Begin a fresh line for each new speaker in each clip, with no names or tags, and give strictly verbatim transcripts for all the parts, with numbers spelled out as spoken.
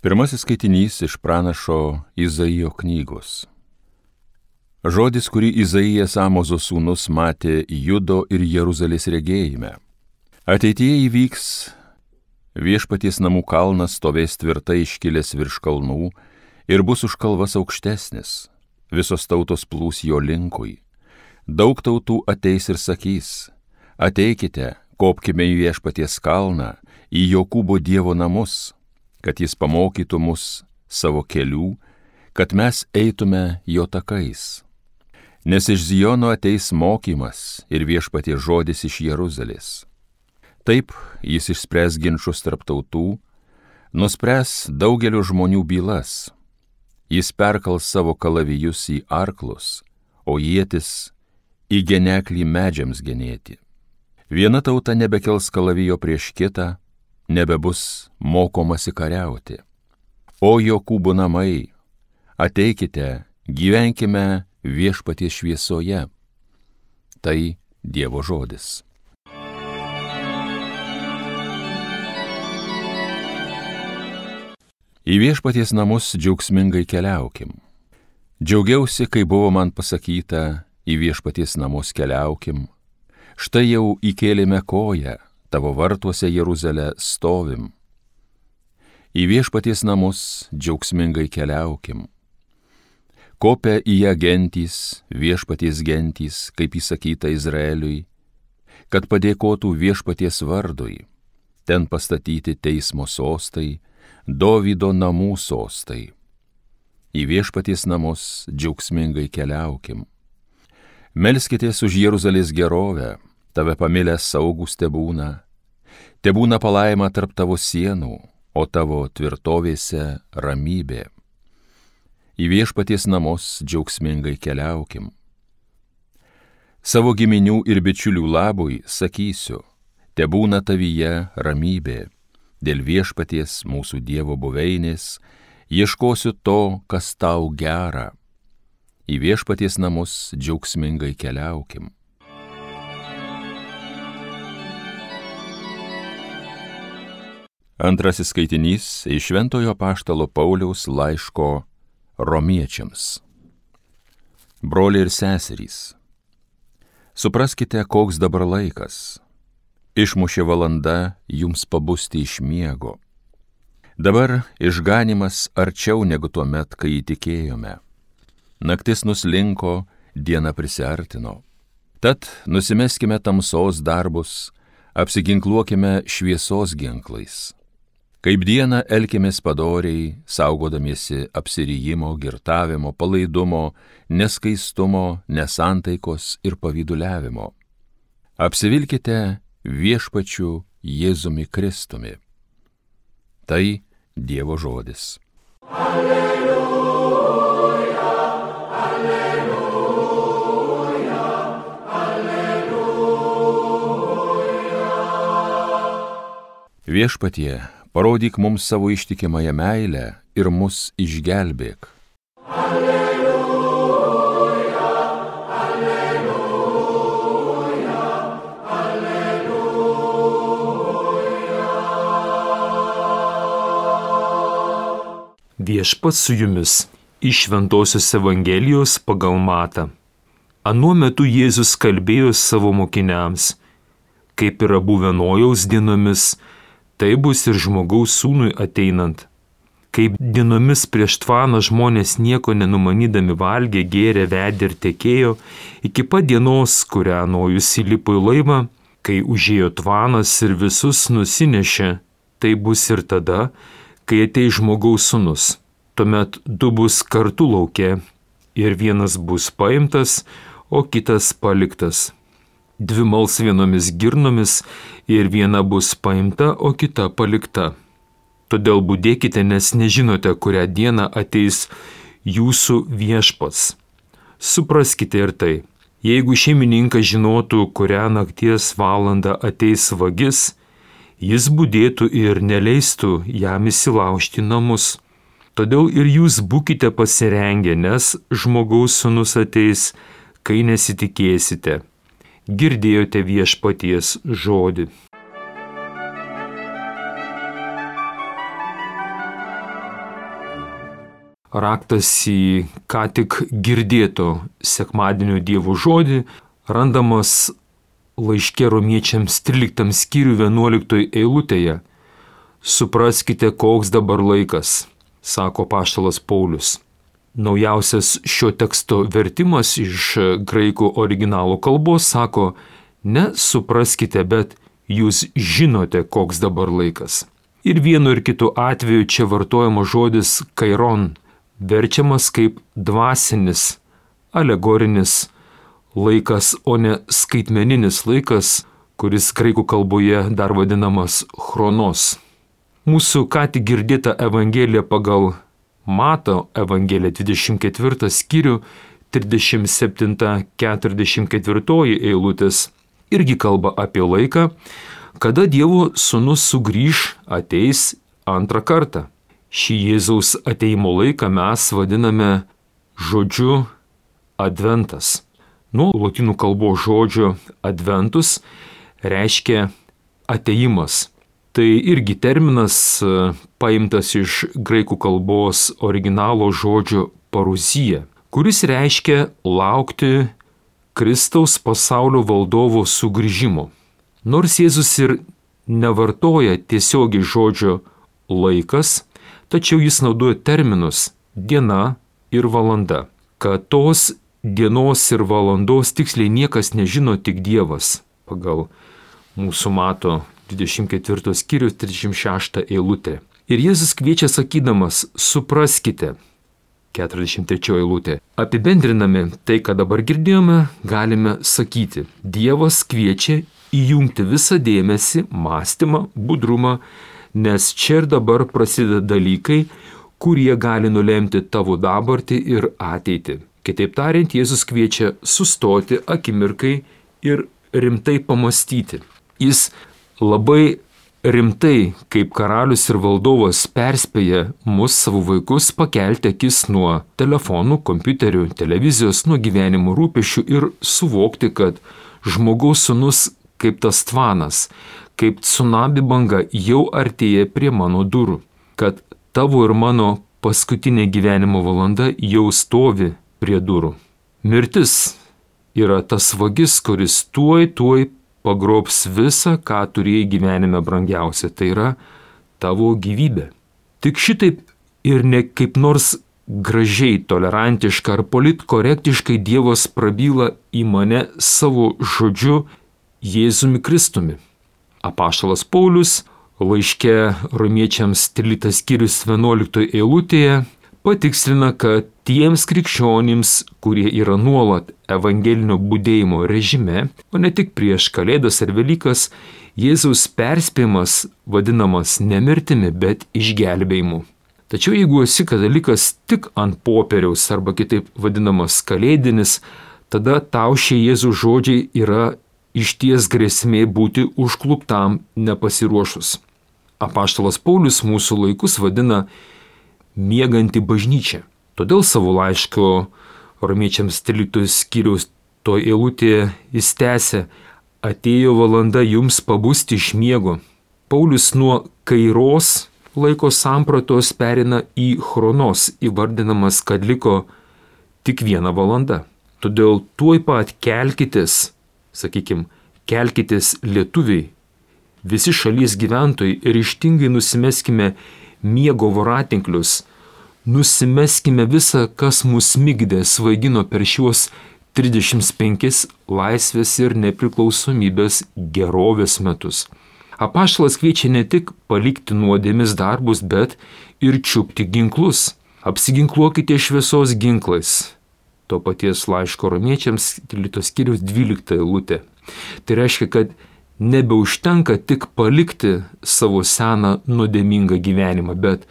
Pirmasis skaitinys iš pranašo Izaijo knygos. Žodis, kurį Izaijas Amozo sūnus matė Judo ir Jeruzalės regėjime. Ateityje įvyks, viešpaties namų kalnas stovės tvirtai iškilęs virš kalnų ir bus už kalvas aukštesnis. Visos tautos plūs jo linkui. Daug tautų ateis ir sakys: ateikite, kopkime į viešpaties kalną, į Jokūbo Dievo namus, kad jis pamokytų mus savo kelių, kad mes eitume jo takais. Nes iš Ziono ateis mokymas ir viešpaties žodis iš Jeruzalės. Taip jis išspręs ginčus tarp tautų, nuspręs daugelio žmonių bylas. Jis perkals savo kalavijus į arklus, o ietis į geneklį medžiams genėti. Viena tauta nebekels kalavijo prieš kitą, nebebus mokomasi kariauti. O Jokūbo namai, ateikite, gyvenkime viešpaties šviesoje. Tai Dievo žodis. Į viešpaties namus džiaugsmingai keliaukim. Džiaugiausi, kai buvo man pasakyta, į viešpaties namus keliaukim. Štai jau įkėlėme koją, tavo vartuose Jeruzalę stovim. Į viešpaties namus džiaugsmingai keliaukim. Kopia į ją gentys, viešpaties gentys, kaip įsakyta Izraeliui, kad padėkotų viešpaties vardui. Ten pastatyti teismo sostai, Dovydo namų sostai. Į viešpaties namus džiaugsmingai keliaukim. Melskitės už Jeruzalės gerovę, tave pamilęs saugūs tebūna. Tebūna palaima tarp tavo sienų, o tavo tvirtovėse ramybė. Į viešpaties namus džiaugsmingai keliaukim. Savo giminių ir bičiulių labui sakysiu, tebūna tavyje ramybė. Dėl viešpaties mūsų Dievo buveinės ieškosiu to, kas tau gera. Į viešpaties namus džiaugsmingai keliaukim. Antrasis skaitinys iš Šventojo apaštalo Pauliaus laiško Romiečiams. Broliai ir seserys, supraskite, koks dabar laikas. Išmušė valanda jums pabusti iš miego. Dabar išganimas arčiau negu tuo met, kai įtikėjome. Naktis nuslinko, diena prisiartino. Tad nusimeskime tamsos darbus, apsiginkluokime šviesos ginklais. Kaip dieną elkimės padoriai, saugodamiesi apsirijimo, girtavimo, palaidumo, neskaistumo, nesantaikos ir pavyduliavimo. Apsivilkite viešpačiu Jėzumi Kristumi. Tai Dievo žodis. Alleluja, alleluja, alleluja. Viešpatie, parodyk mums savo ištikimąją meilę ir mus išgelbėk. Alleluja, alleluja, alleluja.
Viešpats su jumis iš Šventosios Evangelijos pagal Matą. Anuo metu Jėzus kalbėjo savo mokiniams: kaip yra buvę Nojaus dienomis, tai bus ir žmogaus sūnui ateinant. Kaip dienomis prieš tvaną žmonės nieko nenumanydami valgė, gėrė, vedė ir tekėjo, iki pat dienos, kurią Nojus įlipo į laivą, kai užėjo tvanas ir visus nusinešė, tai bus ir tada, kai ateis žmogaus sūnus. Tuomet du bus kartu lauke, ir vienas bus paimtas, o kitas paliktas. Dvi mals vienomis girnomis, ir viena bus paimta, o kita palikta. Todėl budėkite, nes nežinote, kurią dieną ateis jūsų viešpats. Supraskite ir tai, jeigu šeimininkas žinotų, kurią nakties valandą ateis vagis, jis budėtų ir neleistų jam įsilaužti namus. Todėl ir jūs būkite pasirengę, nes žmogaus sūnus ateis, kai nesitikėsite. Girdėjote viešpaties žodį. raktas į ką tik girdėto sekmadienio Dievo žodį randamas laiške romiečiams tryliktam skyriui vienuoliktoje eilutėje. Supraskite, koks dabar laikas, sako apaštalas Paulius. Naujausias šio teksto vertimas iš graikų originalo kalbos sako, ne supraskite, bet jūs žinote, koks dabar laikas. Ir vienu ir kitu atveju čia vartojamas žodis kairon, verčiamas kaip dvasinis, alegorinis laikas, o ne skaitmeninis laikas, kuris graikų kalboje dar vadinamas chronos. Mūsų ką tik girdėta Evangelija pagal Mato Evangeliją dvidešimt ketvirtą skyrių trisdešimt septinta keturiasdešimt ketvirta eilutės irgi kalba apie laiką, kada Dievo sūnus sugrįž, ateis antrą kartą. Šį Jėzaus ateimo laiką mes vadiname žodžiu adventas. Nuo lotynų kalbos žodžio adventus reiškia ateimas. Tai irgi terminas paimtas iš graikų kalbos originalo žodžio paruzija, kuris reiškia laukti Kristaus pasaulio valdovo sugrįžimo. Nors Jėzus ir nevartoja tiesiogiai žodžio laikas, tačiau jis naudoja terminus diena ir valanda. Kad tos dienos ir valandos tiksliai niekas nežino, tik Dievas, pagal mūsų Mato dvidešimt ketvirto skyrius trisdešimt šeštą eilutę. Ir Jėzus kviečia sakydamas, supraskite, keturiasdešimt trečioji eilutė. Apibendrinami tai, ką dabar girdėjome, galime sakyti, Dievas kviečia įjungti visą dėmesį, mąstymą, budrumą, nes čia ir dabar prasideda dalykai, kurie gali nulemti tavo dabartį ir ateitį. Kitaip tariant, Jėzus kviečia sustoti akimirkai ir rimtai pamastyti. Jis labai rimtai, kaip karalius ir valdovas, perspėja mus, savo vaikus, pakelti akis nuo telefonų, kompiuterių, televizijos, nuo gyvenimo rūpesčių ir suvokti, kad žmogaus sūnus kaip tas tvanas, kaip tsunami banga jau artėja prie mano durų, kad tavo ir mano paskutinė gyvenimo valanda jau stovi prie durų. Mirtis yra tas vagis, kuris tuoj, tuoj pagrobs visą, ką turėjai gyvenime brangiausia, tai yra tavo gyvybė. Tik šitaip ir ne kaip nors gražiai, tolerantiškai ar politkorektiškai Dievas prabyla į mane savo žodžiu Jėzumi Kristumi. Apaštalas Paulius laiške romiečiams tryliktas skyrius vienuoliktoje eilutėje patikslina, kad tiems krikščionims, kurie yra nuolat evangelinio budėjimo režime, o ne tik prieš Kalėdas ar Velykas, Jėzaus perspėjimas vadinamas ne mirtimi, bet išgelbėjimu. Tačiau jeigu esi katalikas tik ant popieriaus arba kitaip vadinamas kalėdinis, tada tau šie Jėzaus žodžiai yra išties grėsmė būti užkluptam nepasiruošus. Apaštalas Paulius mūsų laikus vadina mieganti bažnyčia. Todėl savo laiško romiečiams tryliktojo skyriaus to eilutėje jis tęsia, atėjo valanda jums pabusti iš miego. Paulius nuo kairos laiko sampratos perina į chronos, įvardinamas, kad liko tik viena valanda. Todėl tuoj pat kelkitės, sakykime, kelkitės lietuviai, visi šalies gyventojai, ryžtingai nusimeskime miego voratinklius, nusimeskime visą, kas mus migdė, svaigino per šiuos trisdešimt penkis laisvės ir nepriklausomybės gerovės metus. Apaštalas kviečia ne tik palikti nuodėmės darbus, bet ir čiupti ginklus. Apsiginkluokite šviesos ginklais. To paties laiško romiečiams tryliktos skyriaus dvylikta eilutė. Tai reiškia, kad nebeužtenka tik palikti savo seną nuodėmingą gyvenimą, bet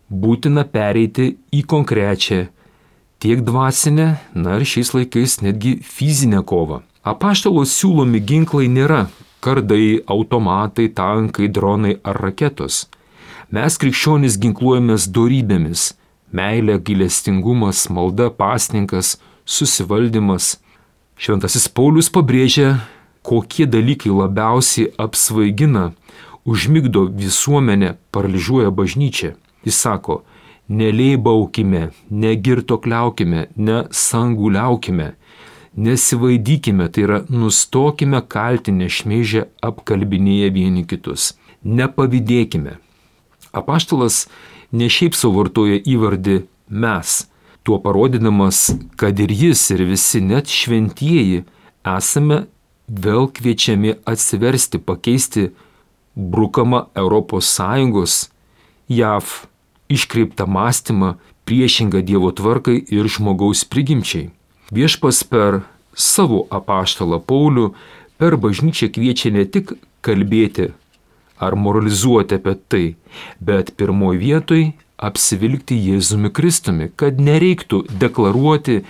būtina pereiti į konkrečią tiek dvasinę, na ir šiais laikais netgi fizinę kovą. Apaštalo siūlomi ginklai nėra kardai, automatai, tankai, dronai ar raketos. Mes krikščionys ginkluojamės dorybėmis – meilė, gailestingumas, malda, pasninkas, susivaldymas. Šventasis Paulius pabrėžia, kokie dalykai labiausiai apsvaigina, užmigdo visuomenę, paralyžiuoja bažnyčią. Jis sako, Nelėbaukime, negirtokliaukime, nesanguliaukime, nesivaidykime, tai yra nustokime kaltinę šmeižę apkalbinėję vieni kitus. Nepavydėkime. Apaštalas ne šiaip suvartoja įvardį mes, tuo parodydamas, kad ir jis, ir visi, net šventieji, esame vėl kviečiami atsiversti, pakeisti brukamą Europos Sąjungos, J A V iškreiptą mąstymą, priešingą Dievo tvarkai ir žmogaus prigimčiai. Viešpas per savo apaštalą Paulių per bažnyčią kviečia ne tik kalbėti ar moralizuoti apie tai, bet pirmoji vietoj apsivilkti Jėzumi Kristumi, kad nereiktų deklaruoti,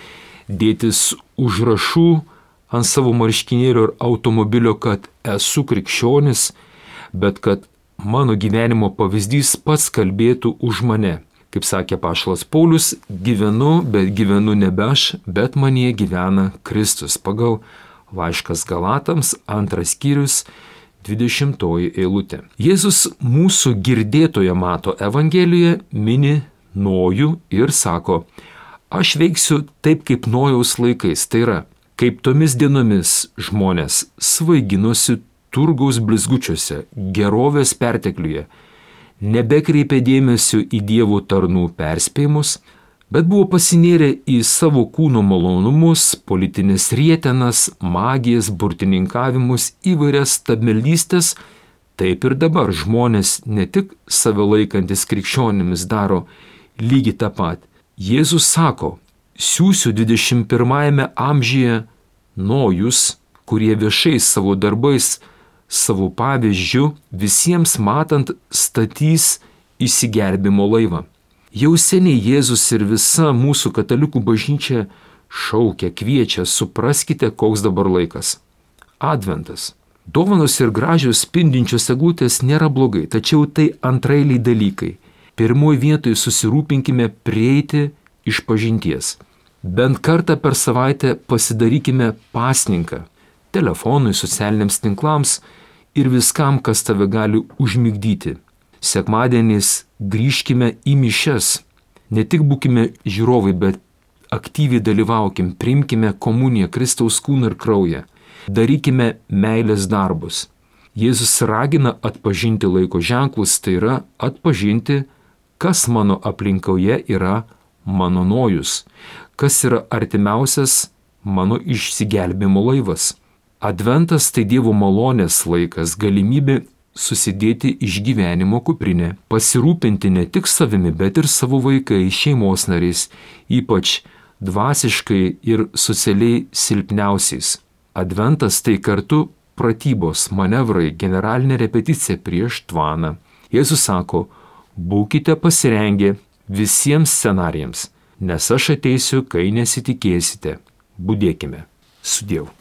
dėtis užrašų ant savo marškinėlio ir automobilio, kad esu krikščionis, bet kad mano gyvenimo pavyzdys pats kalbėtų už mane. Kaip sakė apaštalas Paulius, gyvenu, bet gyvenu nebe aš, bet manyje gyvena Kristus. Pagal laiškas Galatams, antras skyrius, dvidešimtoji eilutė. Jėzus mūsų girdėtoje mato Evangelijoje mini Nojų ir sako, aš veiksiu taip kaip Nojaus laikais, tai yra, kaip tomis dienomis žmonės svaiginosi turgaus blizgučiuose, gerovės pertekliuje, nebekreipė dėmesio į Dievo tarnų perspėjimus, bet buvo pasinėrę į savo kūno malonumus, politinės rietenas, magijas, burtininkavimus, įvairias stabmeldystės, taip ir dabar žmonės ne tik save laikantis krikščionimis daro lygiai tą pat. Jėzus sako, siųsiu dvidešimt pirmajame amžiuje Nojus, kurie viešai savo darbais, savo pavyzdžiu visiems matant statys išsigelbimo laivą. Jau seniai Jėzus ir visa mūsų katalikų bažnyčia šaukia, kviečia, supraskite, koks dabar laikas. Adventas. Dovanos ir gražios spindinčios eglutės nėra blogai, tačiau tai antrailiai dalykai. Pirmoji vietoje susirūpinkime prieiti iš pažinties. Bent kartą per savaitę pasidarykime pasninką telefonui, socialiniams tinklams ir viskam, kas tave gali užmigdyti. Sekmadieniais grįžkime į mišias. Ne tik būkime žiūrovai, bet aktyviai dalyvaukim, priimkime komuniją, Kristaus kūną ir kraują. Darykime meilės darbus. Jėzus ragina atpažinti laiko ženklus, tai yra atpažinti, kas mano aplinkoje yra mano Nojus, kas yra artimiausias mano išsigelbėjimo laivas. Adventas tai Dievo malonės laikas, galimybė susidėti išgyvenimo kuprinę, pasirūpinti ne tik savimi, bet ir savo vaikais, šeimos nariais, ypač dvasiškai ir socialiai silpniausiais. Adventas tai kartu pratybos, manevrai, generalinė repeticija prieš tvaną. Jėzus sako, būkite pasirengę visiems scenarijams, nes aš ateisiu, kai nesitikėsite. Budėkime. Sudiev.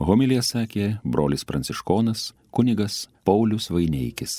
Homiliją sakė brolis pranciškonas kunigas Paulius Vaineikis.